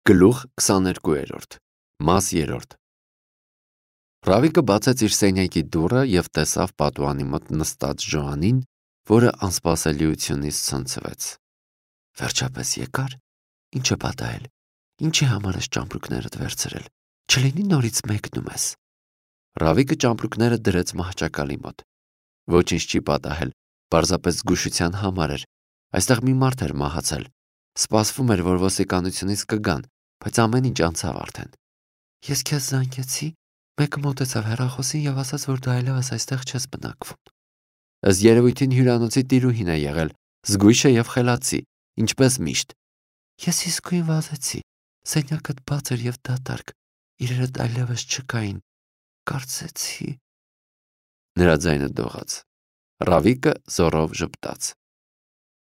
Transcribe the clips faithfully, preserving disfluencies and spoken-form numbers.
Գլուխ քսաներկուերորդ Մաս երրորդ Ռավիկը բացեց իր սենյակի դուռը և տեսավ պատուհանի մոտ նստած Ժոանին, որը անսպասելիությունից ցնցվեց։ Վերջապես եկար։ Ինչ է պատահել։ Ինչի համար ես ճամպրուկներդ վերցրել։ Չլինի նորից մեկնում ես։ Ռավիկը ճամպրուկները դրեց մահճակալի մոտ։ Ոչինչ չի պատահել, պարզապես զգուշության համար էր։ Այստեղ մի մարդ էր մահացել։ Սպասվում էր, որ ոստիկանությունից կգան, բայց ամեն ինչ անցավ արդեն։ Ես քեզ զանգեցի, մեկը մոտեցավ հեռախոսին և ասաց, որ դու այլևս այստեղ չես բնակվում։ Ըստ երևույթին հյուրանոցի տիրուհին է եղել, զգույշ է և խելացի, ինչպես միշտ։ Ես իսկույն վազեցի, սենյակդ բաց էր և դատարկ, իրերդ այլևս չկային, կարծեցի… Նրա ձայնը դողաց։ Ռավիկը զոռով ժպտաց։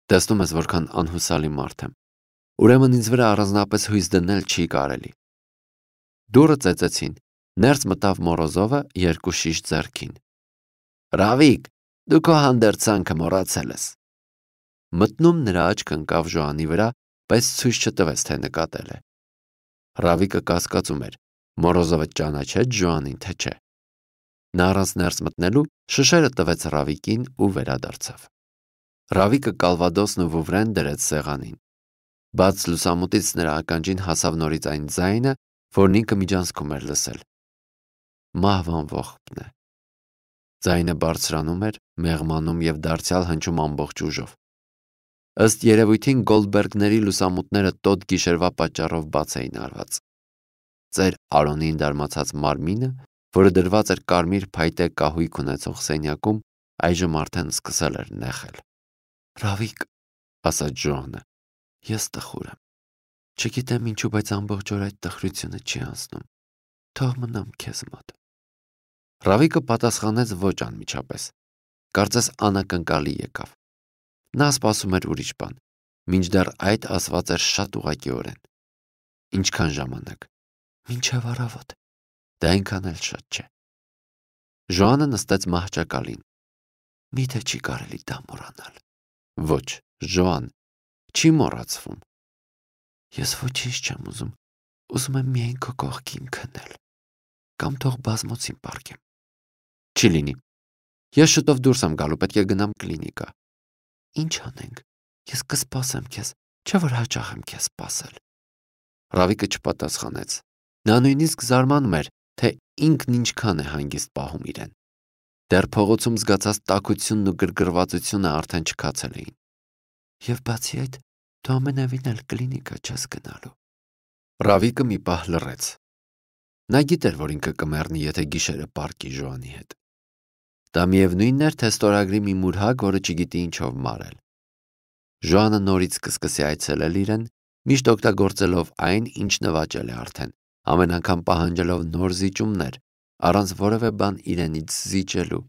Տեսնում ես, որքան անհուսալի մարդ եմ։ Ուրեմն ինձ վրա առանձնապես հույս դնել չի կարելի։ Դուռը ծեծեցին, ներս մտավ Մորոզովը երկու շիշ ձեռքին։ Ռավիկ, դու քո հանդերձանքը մոռացել ես։ Մտնում նրա աչքը ընկավ Ժոանի վրա, բայց ցույց չտվեց, թե նկատել է։ Ռավիկը կասկածում էր, Մորոզովը ճանաչեց Ժոանին, թե չէ։ Նա առանց ներս մտնելու շշերը տվեց Ռավիկին ու վերադարձավ։ Ռավիկը կալվադոսն ու վուվրեն դրեց սեղանին։ Բաց լուսամուտից նրա ականջին հասավ նորից այն ձայնը, որն ինքը միջանցքում էր լսել։ Մահվան ողբն է։ Ձայնը բարձրանում էր, մեղմանում և դարձյալ հնչում ամբողջ ուժով։ Ըստ երևույթին Գոլդբերգների լուսամուտները տոտ գիշերվա պատճառով բաց էին արված։ Ծեր Արոնին դարմացած մարմինը, որը դրված էր կարմիր փայտե կահույք ունեցող սենյակում, այժմ արդեն սկսել էր նեղել։ Ռավիկ, ասաց Ժոանը, ես տխուր եմ։ Չգիտեմ ինչու, բայց ամբողջ օր այդ տխրությունը չի անցնում։ Թող մնամ քեզ մոտ։ Ռավիկը պատասխանեց ոչ անմիջապես։ Կարծես անակնկալի եկավ։ Նա սպասում էր ուրիշ բան, մինչդեռ այդ ասված էր շատ ուղղակիորեն։ Ինչքան ժամանակ։ Մինչև առավոտ։ Դա այնքան էլ շատ չէ։ Ժոանը նստեց մահճակալին։ Միթե չի կարելի դա մոռանալ։ Ոչ, Ժոան, չի մոռացվում։ Ես ոչինչ չեմ ուզում, ուզում եմ միայն քո կողքին քնել, կամ թող բազմոցին պառկեմ։ Չի լինի։ Ես շուտով դուրս եմ գալու, պետք է գնամ կլինիկա։ Ինչ անենք, ես կսպասեմ քեզ, չէ՞ որ հաճախ եմ քեզ սպասել։ Ռավիկը չպատասխանեց։ Նա նույնիսկ զարմանում էր, թե ինքն ինչքան է հանգիստ պահում իրեն։ Դեռ փողոցում զգացած տաքությունն ու գրգռվածությունը արդեն չքացել էին։ Եվ բացի այդ, դու ամենևին էլ կլինիկա չես գնալու։ Ռավիկը մի պահ լռեց։ Նա գիտեր, որ ինքը կմեռնի, եթե գիշերը պառկի Ժոանի հետ։ Դա միևնույնն էր, թե ստորագրի մի մուրհակ, որը չգիտի ինչով մարել։ Ժոանը նորից կսկսի այցելել իրեն, միշտ օգտագործելով այն, ինչ նվաճել է արդեն, ամեն անգամ պահանջելով նոր զիջումներ, առանց որևէ բան իրենից զիջելու,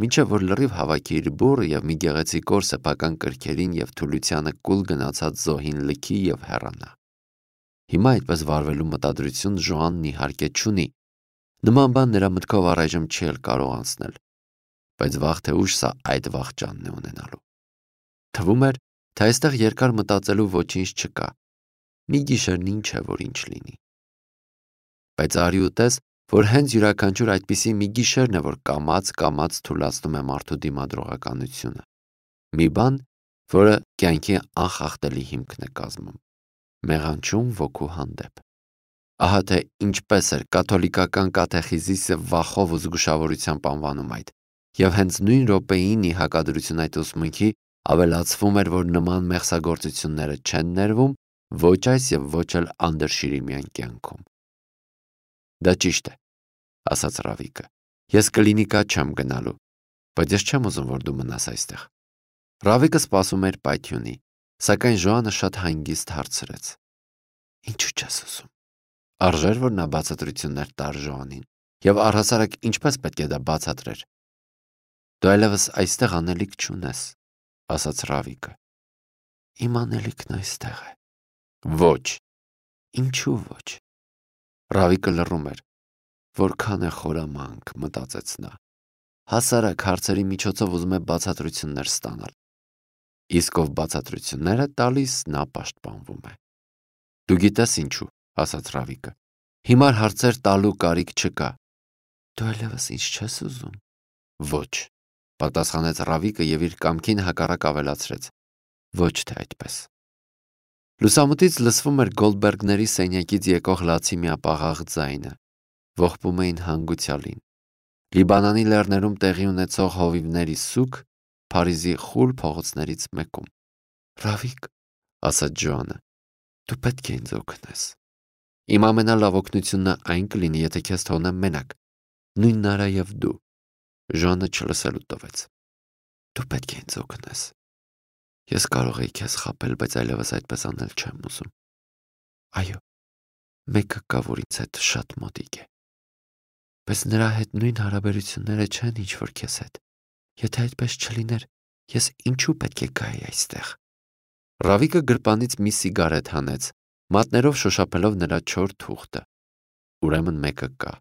մինչև որ լրիվ հավաքի իր բուռը և մի գեղեցիկոր սեփական կրքերին և թուլությանը կուլ գնացած զոհին լքի և հեռանա։ Հիմա այդպես վարվելու մտադրություն Ժոանն իհարկե չունի։ Նման բան նրա մտքով առայժմ չի էլ կարող անցնել, բայց վաղ թե ուշ սա այդ վախճանն է ունենալու։ Թվում էր, թե այստեղ երկար մտածելու ոչինչ չկա։ Մի գիշերն ինչ է, որ ինչ լինի։ Բայց արի ու տես, որ հենց յուրաքանչյուր այդպիսի մի գիշերն է, որ կամաց-կամաց թուլացնում է մարդու դիմադրողականությունը։ Մի բան, որը կյանքի անխախտելի հիմքն է կազմում։ Մեղանչում ոգու հանդեպ։ Ահա թե ինչպես էր կաթոլիկական կատեխիզիսը վախով ու զգուշավորությամբ անվանում այդ, և հենց նույն րոպեին ի հակադրություն այդ ուսմունքի ավելացվում էր, որ նման մեղսագործությունները չեն ներվում ոչ այս և ոչ էլ անդրշիրիմյան կյանքում։ Դա ճիշտ է, ասաց Ռավիկը։ Ես կլինիկա չեմ գնալու, բայց ես չեմ ուզում, որ դու մնաս այստեղ։ Ռավիկը սպասում էր պայթյունի, սակայն Ժոանը շատ հանգիստ հարցրեց. Ինչու չես ուզում։ Արժեր, որ նա բացատրություններ տար Ժոանին, և առհասարակ ինչպես պետք է դա բացատրեր։ Դու այլևս այստեղ անելիք չունես, ասաց Ռավիկը։ Իմ անելիքն այստեղ է։ Ոչ։ Ինչու ոչ։ Ռավիկը լռում էր։ Որքան է խորամանկ, մտածեց նա։ Հասարակ հարցերի միջոցով ուզում է բացատրություններ ստանալ։ Իսկ ով բացատրություններ է տալիս, նա պաշտպանվում է։ Դու գիտես ինչու։ ասաց Ռավիկը։ Հիմար հարցեր տալու կարիք չկա։ Դու այլևս ինձ չես ուզում։ Ոչ, պատասխանեց Ռավիկը եւ իր կամքին հակառակ ավելացրեց. Ոչ թե այդպես։ Լուսամուտից լսվում էր Գոլդբերգների սենյակից եկող լացի միապաղաղ ձայնը։ Ողբում էին հանգուցյալին։ Լիբանանի լեռներում տեղի ունեցող հովիվների սուկ Փարիզի խուլ փողոցներից մեկում։ Ռավիկ, ասաց Ջոանը, դու պետք է ինձ օգնես։ Իմ ամենալավ օգնությունն այն կլինի, եթե քեզ թողնեմ մենակ, նույն նարայև դու։ Ջոանը չլսելու տվեց։ Դու պետք է ինձ օգնես։ Ես կարող էի քեզ խաբել, բայց այլևս այդպես անել չեմ ուզում։ Այո, մեկը կա, որ ինձ հետ շատ մոտիկ է։ Բայց նրա հետ նույն հարաբերությունները չեն, ինչ որ քեզ հետ։ Եթե այդպես չլիներ, ես ինչու պետք է գայի այստեղ։ Ռավիկը գրպանից մի սիգարետ հանեց, մատներով շոշափելով նրա չոր թուղթը։ Ուրեմն մեկը կա։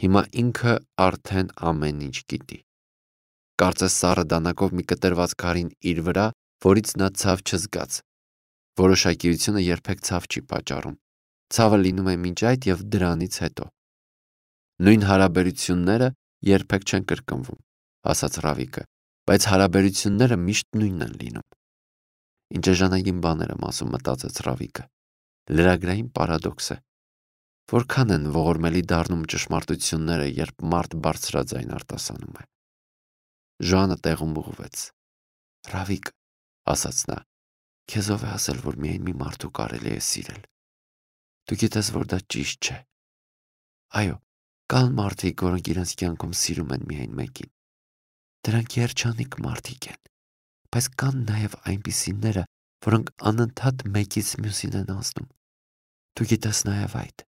Հիմա ինքը արդեն ամեն ինչ գիտի։ Կարծես սառը դանակով մի կտրված քարին իր վրա, որից նա ցավ չզգաց։ Որոշակիությունը երբեք ցավ չի պատճառում։ Ցավը լինում է մինչ այդ եւ դրանից հետո։ Նույն հարաբերությունները երբեք չեն կրկնվում, ասաց Ռավիկը, բայց հարաբերությունները միշտ նույնն են լինում։ Ինչ էժանագին բաներ եմ ասում, մտածեց Ռավիկը։ Լրագրային պարադոքս է։ Որքան են ողորմելի դառնում ճշմարտությունները, երբ մարդ բարձրաձայն արտասանում է։ Ժանը տեղում ուղղվեց։ Ռավիկ, ասաց նա, քեզ ով է ասել, որ միայն մի մարդու կարելի է սիրել։ Դու գիտես, որ դա ճիշտ չէ։ Այո, կան մարդիկ, որոնք իրենց կյանքում սիրում են միայն մեկին։ Դրանք երջանիկ մարդիկ են, բայց կան նաև այնպիսիները, որոնք անընդհատ մեկից մյուսին են անցնում։ Դու գիտես նաև այդ։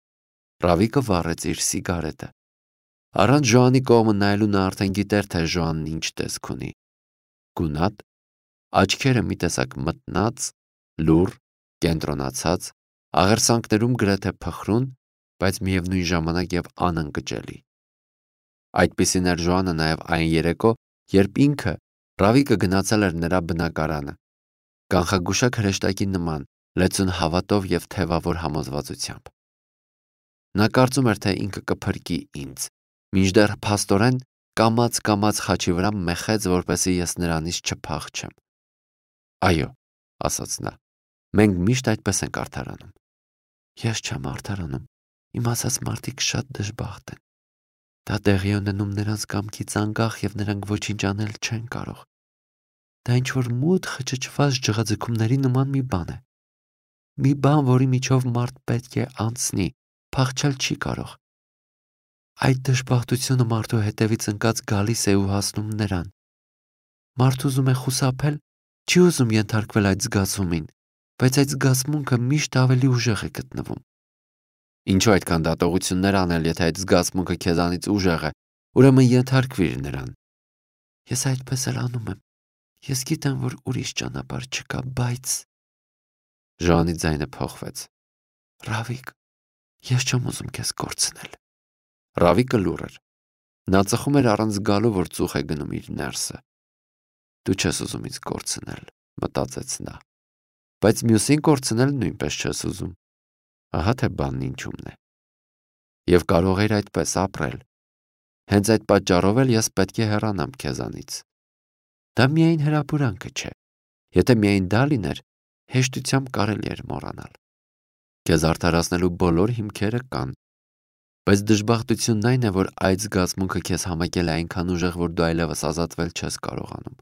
Ռավիկը վառեց իր սիգարետը։ Առանց Ժոանի կողմը նայելու նա արդեն գիտեր, թե Ժոանն ինչ տեսք ունի։ Գունատ, աչքերը մի տեսակ մտնած, լուռ, կենտրոնացած, աղերսանքներում գրեթե փխրուն, բայց միևնույն ժամանակ եւ անընկճելի։ Այդպիսին էր Ժոանը նաև այն երեկո, երբ ինքը Ռավիկը գնացել էր նրա բնակարանը։ Կանխագուշակ հրեշտակի նման, լեցուն հավատով եւ թևավոր համոզվածությամբ։ Նա կարծում էր, թե ինքը կփրկի ինձ, մինչդեռ փաստորեն կամաց-կամաց խաչի վրա մեխեց, որպեսզի ես նրանից չփախչեմ։ Այո, ասաց նա, մենք միշտ այդպես ենք արդարանում։ Ես չեմ արդարանում, իմ ասած մարդիկ շատ դժբախտ են։ Դա տեղի ունենում նրանց կամքից անկախ եւ նրանք ոչինչ անել չեն կարող։ Դա ինչ-որ մութ խճճված ջղաձգումների նման մի բան է։ Մի բան, որի միջով մարդ պետք է անցնի, փախչել չի կարող։ Այդ դժբախտությունը մարդու հետևից ընկած գալիս է ու հասնում նրան։ Մարդ ուզում է խուսափել, չի ուզում ենթարկվել այդ զգացումին, բայց այդ զգացմունքը միշտ ավելի ուժեղ է գտնվում։ Ինչու այդքան դատողություններ անել, եթե այդ զգացմունքը քեզանից ուժեղ է, ուրեմն ենթարկվիր նրան։ Ես այդպես էլ անում եմ։ Ես գիտեմ, որ ուրիշ ճանապարհ չկա, բայց… Ժանի ձայնը փոխվեց։ Ռավիկ, ես չեմ ուզում քեզ կորցնել։ Ռավիկը լուռ էր։ Նա ծխում էր առանց զգալու, որ ծուխ է գնում իր ներսը։ Դու չես ուզում ինձ կորցնել, մտածեց նա։ Բայց մյուսին կորցնել նույնպես չես ուզում։ Ահա թե բանն ինչումն է։ Եվ կարող էր այդպես ապրել։ Հենց այդ պատճառով էլ ես պետք է հեռանամ քեզանից։ Դա միայն հրապուրանքը չէ։ Եթե միայն դա լիներ, հեշտությամբ կարելի էր մոռանալ։ Քեզ արդարացնելու բոլոր հիմքերը կան։ Բայց դժբախտությունն այն է, որ այդ զգացմունքը քեզ համակել է այնքան ուժեղ, որ դու այլևս ազատվել չես կարողանում։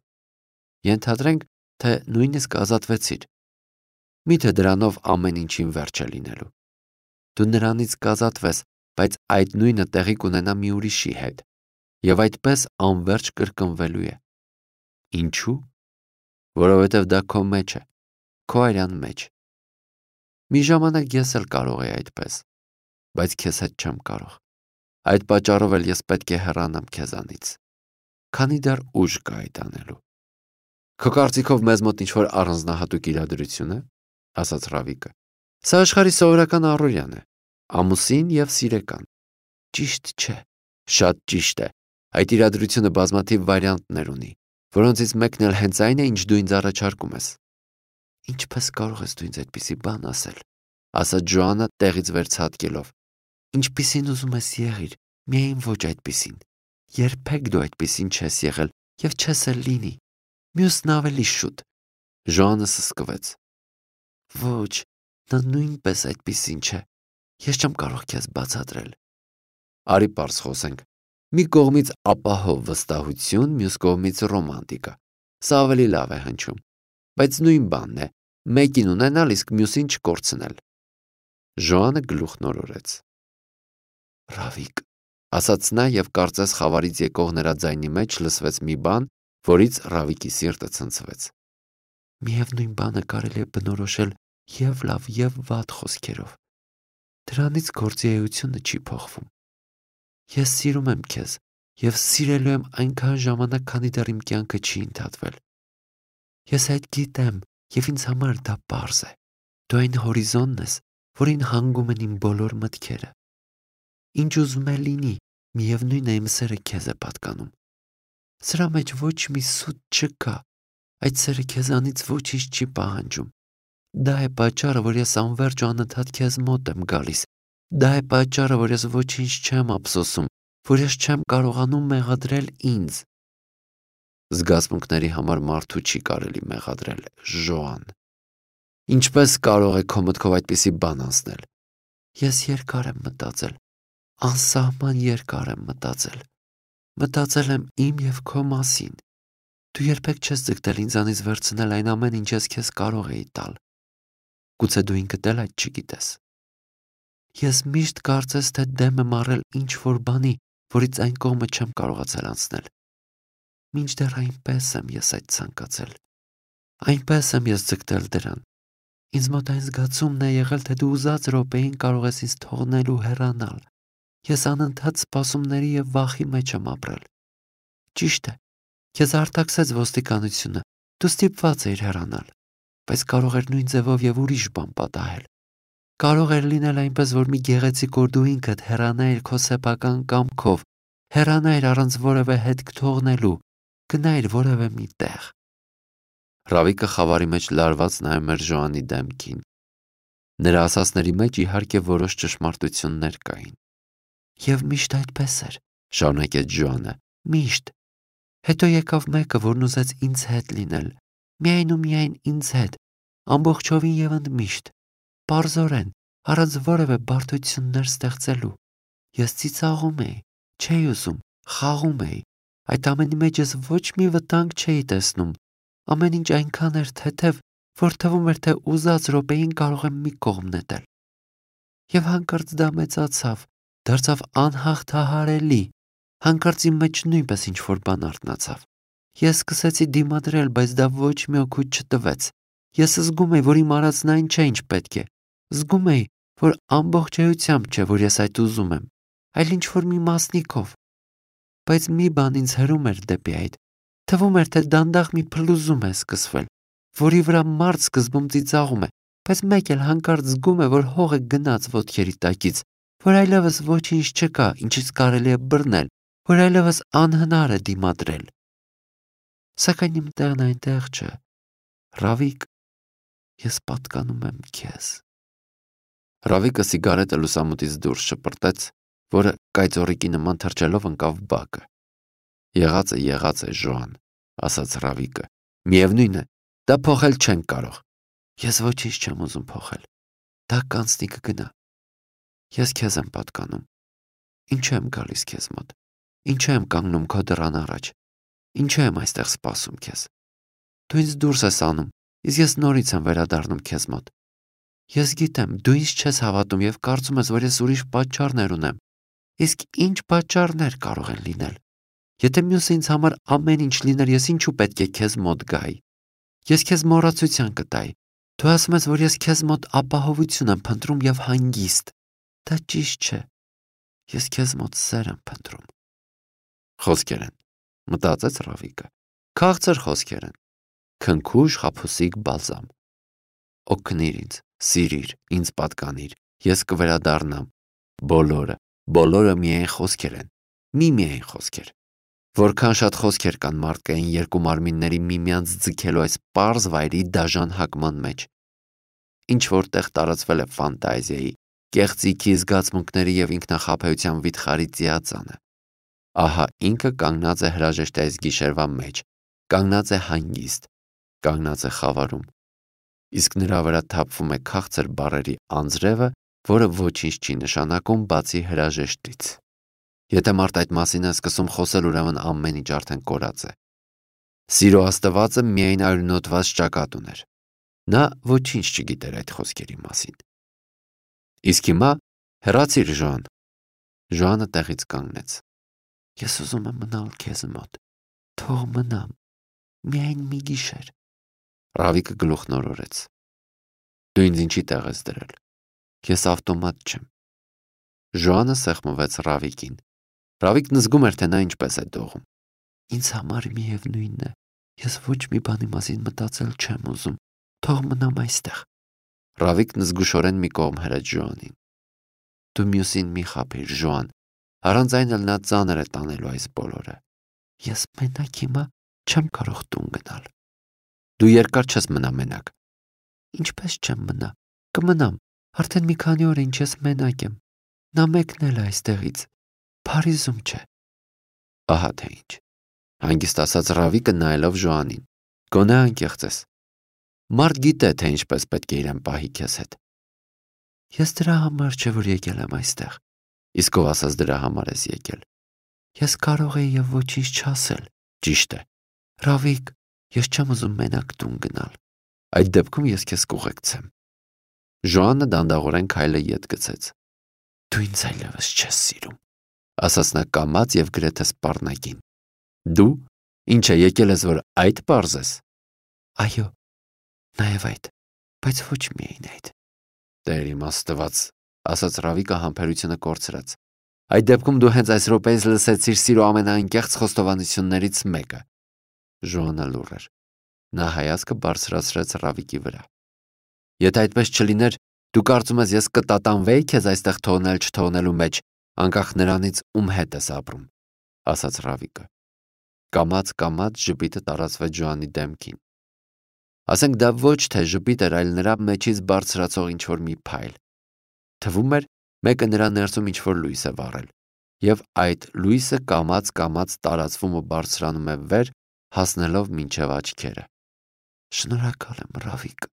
Ենթադրենք, թե նույնիսկ ազատվեցիր։ Միթե դրանով ամեն ինչին վերջ է լինելու։ Դու նրանից կազատվես, բայց այդ նույնը տեղի կունենա մի ուրիշի հետ, եւ այդպես անverջ կրկնվելու է։ Ինչու՞։ Որովհետև դա քո մեջ է, քո արյան մեջ։ Մի ժամանակ ես էլ կարող էի այդպես, բայց քեզ հետ չեմ կարող։ Այդ պատճառով էլ ես պետք է հեռանամ քեզանից, քանի դեռ ուժ կա այդ անելու։ Քո կարծիքով մեզ մոտ ինչ-որ առանձնահատուկ իրադրություն է, ասաց Ռավիկը։ Սա աշխարհի սովորական առօրյան է, ամուսին եւ սիրեկան։ Ճիշտ չէ, շատ ճիշտ է։ Այդ իրադրությունը բազմաթիվ վարիանտներ ունի, որոնցից մեկն էլ հենց այն է, ինչ դու ինձ առաջարկում ես։ Ինչպես կարող ես դու ինձ այդպիսի բան ասել։ ասաց Ջոանը տեղից վերցատկելով։ Ինչպիսին ուզում ես եղիր, միայն ոչ այդպիսին։ Երբեք դու այդպիսին չես եղել եւ չես էլ լինի։ Մյուսն ավելի շուտ։ Ժոանը սսկվեց։ Ոչ, նա նույնպես այդպիսին չէ։ Ես չեմ կարող քեզ բացատրել։ Արի պարզ խոսենք։ Մի կողմից ապահով վստահություն, մյուս կողմից ռոմանտիկա։ Սա ավելի լավ է հնչում։ Բայց նույն բանն է, մեկին ունենալ, իսկ մյուսին չկորցնել։ Ժոանը գլուխն օրորեց։ Ռավիկ, ասաց նա եւ կարծես խավարից եկող նրա ձայնի մեջ լսվեց մի բան, որից Ռավիկի սիրտը ցնցվեց։ Միևնույն բանը կարելի է բնորոշել եւ լավ եւ վատ խոսքերով։ Դրանից գործի էությունը չի փոխվում։ Ես սիրում եմ քեզ եւ սիրելու եմ այնքան ժամանակ, քանի դեռ իմ կյանքը չի ընթացվել։ Ես այդ գիտեմ եւ ինձ համար դա պարզ է։ Դու այն հորիզոնն ես, որին հանգում են իմ բոլոր մտքերը։ Ինչ ուզում է լինի, միևնույն է իմ սերը քեզ է պատկանում։ Սրա մեջ ոչ մի սուտ չկա, այդ սերը քեզանից ոչինչ չի պահանջում։ Դա է պատճառը, որ ես անվերջ ու անընդհատ քեզ մոտ եմ գալիս։ Դա է պատճառը, որ ես ոչինչ չեմ ափսոսում, որ ես չեմ կարողանում մեղադրել ինձ։ Զգացմունքների համար մարդու չի կարելի մեղադրել, Ժոան։ Ինչպես կարող է քո մտքով այդպիսի բան անցնել։ Ես երկար եմ մտածել, անսահման երկար եմ մտածել։ Մտածել եմ իմ եւ քո մասին։ Դու երբեք չես ձգտել ինձանից վերցնել այն ամեն ինչ ես քեզ կարող էի տալ։ Գուցե դու ինքդ էլ այդ չգիտես։ Ես միշտ կարծես թե դեմ եմ առել ինչ-որ բանի, որից այն կողմը չեմ կարողացել անցնել։ Մինչդեռ այնպես եմ ես այդ ցանկացել։ Այնպես եմ ես ձգտել դրան։ Ինձ մոտ այն զգացումն է եղել, թե դու ուզած րոպեին կարող ես ինձ թողնել ու հեռանալ։ Ես անընդհատ սպասումների եւ վախի մեջ եմ ապրել։ Ճիշտ է, քեզ արտաքսեց ոստիկանությունը, դու ստիպված էիր հեռանալ, բայց կարող էր նույն ձևով եւ ուրիշ բան պատահել։ Կարող էր լինել այնպես, որ մի գեղեցիկ օր դու ինքդ հեռանայիր քո սեփական կամքով, հեռանայիր առանց որևէ հետք թողնելու, գնայիր որևէ մի տեղ։ Ռավիկը խավարի մեջ լարված նայում էր Ժոանի դեմքին։ Նրա ասածների մեջ իհարկե որոշ ճշմարտություններ կային։ Եվ միշտ այդպես էր, շարունակեց Ժոանը, միշտ։ Հետո եկավ մեկը, որն ուզեց ինձ հետ լինել, միայն ու միայն ինձ հետ, ամբողջովին եւ ընդմիշտ, պարզորեն, առանց որևէ բարդություններ ստեղծելու։ Ես ծիծաղում էի, չէի ուզում, խաղում էի, այդ ամենի մեջ ես ոչ մի վտանգ չէի տեսնում, ամեն ինչ այնքան էր թեթև, որ թվում էր, թե ուզած րոպեին կարող եմ մի կողմ նետել։ Եվ հանկարծ դա մեծացավ, դարձավ անհաղթահարելի, հանկարծ իմ մեջ նույնպես ինչ-որ բան արթնացավ։ Ես սկսեցի դիմադրել, բայց դա ոչ մի օգուտ չտվեց։ Ես զգում էի, որ իմ արածն այն չէ, ինչ պետք է։ Զգում էի, որ ամբողջ էությամբ չէ, որ ես այդ ուզում եմ, այլ ինչ-որ մի մասնիկով։ Բայց մի բան ինձ հրում էր դեպի այդ։ Թվում էր, թե դանդաղ մի փլուզում է սկսվել, որի վրա մարդ սկզբում ծիծաղում է, բայց մեկ էլ հանկարծ զգում է, որ հողը գնաց ոտքերի տակից, որ այլևս ոչինչ չկա, ինչից կարելի է բռնել, որ այլևս անհնար է դիմադրել։ Սակայն իմ տեղն այնտեղ չէ։ Ռավիկ, ես պատկանում եմ քեզ։ Ռավիկը սիգարետը լուսամուտից դուրս շպրտեց, որը կայծորիկի նման թրջելով ընկավ բակը։ Եղածը եղած է, Ժոան, ասաց Ռավիկը։ Միևնույն է, դա փոխել չենք կարող։ Ես ոչինչ չեմ ուզում փոխել։ Դա կանցնի կգնա։ Ես քեզ եմ պատկանում։ Ինչու եմ գալիս քեզ մոտ։ Ինչու եմ կանգնում քո դռան առաջ։ Ինչու եմ այստեղ սպասում քեզ։ Դու ինձ դուրս ես անում, իսկ ես նորից եմ վերադառնում քեզ մոտ։ Ես գիտեմ, դու ինձ չես հավատում եւ կարծում ես, որ ես ուրիշ պատճառներ ունեմ։ Իսկ ինչ պատճառներ կարող են լինել։ Եթե մյուսը ինձ համար ամեն ինչ լիներ, ես ինչու պետք է քեզ մոտ գայի։ Ես քեզ մոռացության կտայի։ Դու ասում ես, որ ես քեզ մոտ ապահովություն եմ փնտրում եւ հանգիստ։ Դա ճիշտ չէ։ Ես քեզ մոտ սեր եմ փնտրում։ Խոսքեր են, մտածեց Ռավիկը։ Քաղցր խոսքեր են։ Քնքուշ խաբուսիկ բալզամ։ Օգնիր ինձ, սիրիր, ինձ պատկանիր, ես կվերադառնամ։ Բոլորը, բոլորը միայն խոսքեր են։ Մի միայն խոսքեր։ Որքան շատ խոսքեր կան մարդկային երկու մարմինների միմյանց ձգելու այս պարզ վայրի դաժան հակման մեջ։ ինչ որտեղ տարածվել է ֆանտազիայի, կեղծիքի զգացմունքների եւ ինքնախաբեության վիթխարի ծիածանը։ Ահա ինքը կանգնած է հրաժեշտ այս գիշերվա մեջ, կանգնած է հանգիստ, կանգնած է խավարում։ Իսկ նրա վրա թափվում է քաղցր բառերի անձրևը, որը ոչինչ չի նշանակում բացի հրաժեշտից։ Եթե մարդ այդ մասին է սկսում խոսել, ուրեմն ամեն ինչ արդեն կորած է։ Սիրո աստվածը միայն արյունոտված ճակատ ուներ։ Նա ոչինչ չգիտեր այդ խոսքերի մասին։ Իսկ հիմա հեռացիր, Ժոան։ Ժոանը տեղից կանգնեց։ Ես ուզում եմ մնալ քեզ մոտ։ Թող մնամ։ Միայն մի գիշեր։ Ռավիկը գլուխն օրորեց։ Դու ինձ ինչի տեղ ես դրել։ Ես ավտոմատ չեմ։ Ժոանը սեղմվեց Ռավիկին։ Ռավիկն զգում էր, թե նա ինչպես է դողում։ Ինձ համար միևնույնն է։ Ես ոչ մի բանի մասին մտածել չեմ ուզում։ Թող մնամ այստեղ։ Ռավիկն զգուշորեն մի կողմ հրեց Ժոանին։ Դու մյուսին մի խաբիր, Ժոան։ Առանց այն էլ նա ծանր է տանելու այս բոլորը։ Ես մենակ հիմա չեմ կարող տուն գնալ։ Դու երկար չես մնա մենակ։ Ինչպես չեմ մնա։ Կմնամ։ Արդեն մի քանի օր է ինչ ես մենակ եմ։ Նա մեկն էլ է այստեղից։ Փարիզում չէ։ Ահա թե ինչ։ Հանգիստ ասաց Ռավիկը նայելով Ժոանին։ Գոնե անկեղծ ես։ Մարդ գիտե, թե ինչպես պետք է իրեն պահի քեզ հետ։ Ես դրա համար չէ, որ եկել եմ այստեղ։ Իսկ ով ասաց դրա համար ես եկել։ Ես կարող եի եւ ոչինչ չասել։ Ճիշտ է։ Ռավիկ, ես չեմ ուզում մենակ տուն գնալ։ Այդ դեպքում ես քեզ կուղեկցեմ։ Ժոանը դանդաղորեն քայլը ետ գցեց։ Դու ինձ այլևս չես սիրում, ասաց նա կամաց եւ գրեթե սպառնակին։ Դու ինչ է եկել ես, որ այդ պարզես։ Այո, նաեւ այդ, բայց ոչ միայն այդ։ Տեր իմ Աստված, ասաց Ռավիկը համբերությունը կորցրած։ Այդ դեպքում դու հենց այս րոպեից լսեցիր սիրո ամենաանկեղծ խոստովանություններից մեկը։ Ժոանը լուռ էր։ Նա հայացքը բարձրացրեց Ռավիկի վրա։ Եթե այդպես չլիներ, դու կարծում ես ես կտատանվեի քեզ այստեղ թողնել չթողնելու մեջ, անկախ նրանից ում հետ ես ապրում, ասաց Ռավիկը։ Կամաց-կամաց ժպիտը տարածվեց Ժոանի դեմքին։ Ասենք դա ոչ թե ժպիտ էր, այլ նրա մեջից բարձրացող ինչ-որ մի փայլ։ Թվում էր, մեկը նրա ներսում ինչ-որ լույս է վառել, եւ այդ լույսը կամաց-կամաց տարածվում ու բարձրանում է վեր, հասնելով մինչև աչքերը։ Շնորհակալ եմ, Ռավիկ,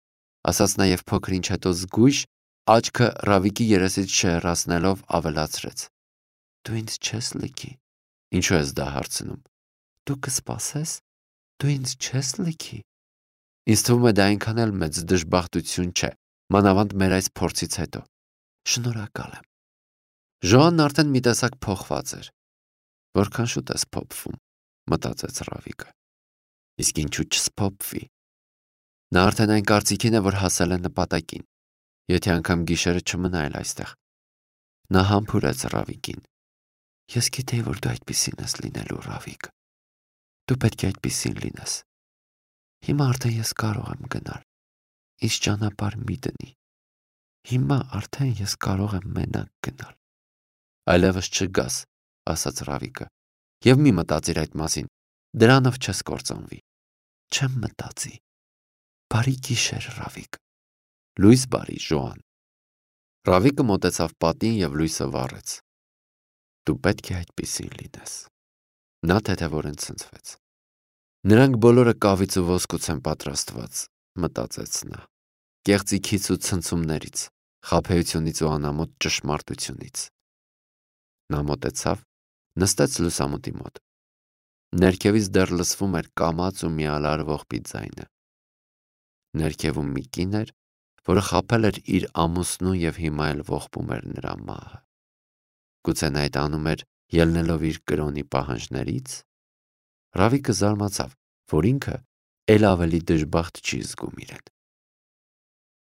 ասաց նա եւ փոքր ինչ հետո զգույշ աչքը Ռավիկի երեսից շեղրացնելով ավելացրեց. Դու ինձ չես լքի։ Ինչու ես դա հարցնում։ Դու կսպասես։ Դու ինձ չես լքի։ Ինձ թվում է դա այնքան էլ մեծ դժբախտություն չէ, մանավանդ մեր այս փորձից հետո։ Շնորհակալ եմ։ Ժոանն արդեն մի տեսակ փոխված էր։ Որքան շուտ ես փոփվում, մտածեց Ռավիկը։ Իսկ ինչու չսփոփվի։ Նա արդեն այն կարծիքին է, որ հասել է նպատակին։ Եթե անգամ գիշերը չմնա էլ այստեղ։ Նա համբուրեց Ռավիկին։ Ես գիտեի, որ դու այդպիսին ես լինելու, Ռավիկ։ Դու պետք է այդպիսին լինես։ Հիմա արդեն ես կարող եմ գնալ։ Ինչ ճանապարհ մի դնի։ Հիմա արդեն ես կարող եմ մենակ գնալ։ Այլևս չգաս, ասաց Ռավիկը։ Եվ մի մտածիր այդ մասին։ Դրանով չես կործանվի։ Չեմ մտածի։ Բարի գիշեր, Ռավիկ։ Լույս բարի, Ժոան։ Ռավիկը մոտեցավ պատին եւ լույսը վառեց։ Դու պետք է այդպիսին լինես։ Նա թեթևորեն ցնցվեց։ Նրանք բոլորը կավից ու ոսկուց են պատրաստված, մտածեց նա։ Կեղծիքից ու ցնցումներից, խաբեությունից ու անամոթ ճշմարտությունից։ Նա մոտեցավ, նստեց լուսամուտի մոտ։ Ներքևից դեռ լսվում էր կամաց ու միալար ողբի ձայնը։ Ներքևում մի կին էր, որը խաբել էր իր ամուսնու եւ հիմա էլ ողբում էր նրա մահը։ Գուցե նա այդ անում էր ելնելով իր կրոնի պահանջներից։ Ռավիկը զարմացավ, որ ինքը էլ ավելի դժբախտ չի զգում իրեն։